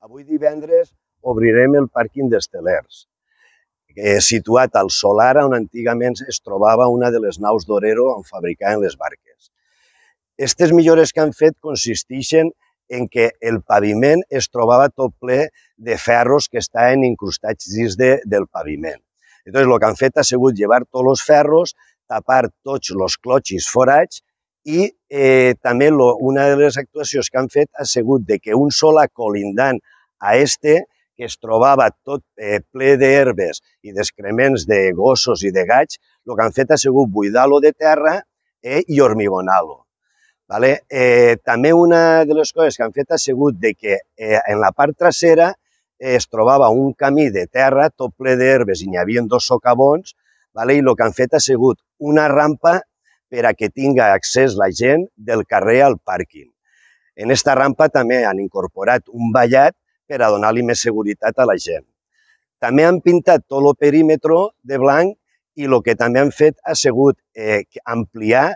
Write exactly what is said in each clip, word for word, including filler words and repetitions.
Avui divendres obrirem el pàrquing d'Estelers, eh, situat al solar on antigament es trobava una de les naus d'Orero on fabricaven les barques. Aquestes millores que han fet consisteixen en que el paviment es trobava tot ple de ferros que estaven incrustats dins de, del paviment. Entonces, el que han fet ha sigut llevar tots els ferros, tapar tots els clotxis forats i eh, també lo, una de les actuacions que han fet ha sigut de que un solar colindant a este, que es trobava tot eh, ple d'herbes i d'excrements de gossos i de gats, el que han fet ha sigut buidar-lo de terra eh, i hormigonar-lo. Vale? Eh, també una de les coses que han fet ha sigut de que eh, en la part trasera eh, es trobava un camí de terra tot ple d'herbes i n'hi havia dos socavons, vale? I el que han fet ha sigut una rampa per a que tinga accés la gent del carrer al pàrquing. En aquesta rampa també han incorporat un vallat per a donar-li més seguretat a la gent. També han pintat tot el perímetre de blanc i el que també han fet ha sigut eh, ampliar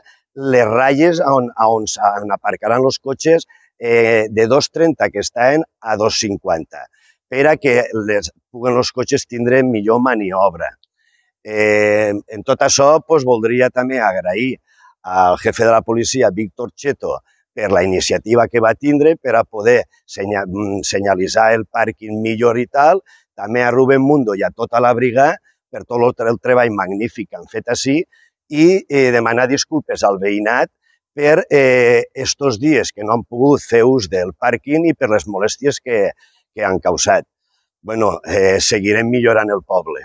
les ratlles on, on, on aparcaran els cotxes eh, de dos coma trenta que estaven a dos coma cinquanta per a que les, puguen els cotxes tindre millor maniobra. Eh, en tot això, pues, voldria també agrair al jefe de la policia, Víctor Cheto, per la iniciativa que va tindre per a poder senyalitzar el pàrquing millor i tal, també a Rubén Mundo i a tota la brigada per tot el treball magnífic que han fet així i eh, demanar disculpes al veïnat per aquests eh, dies que no han pogut fer ús del pàrquing i per les molèsties que, que han causat. Bueno, eh, seguirem millorant el poble.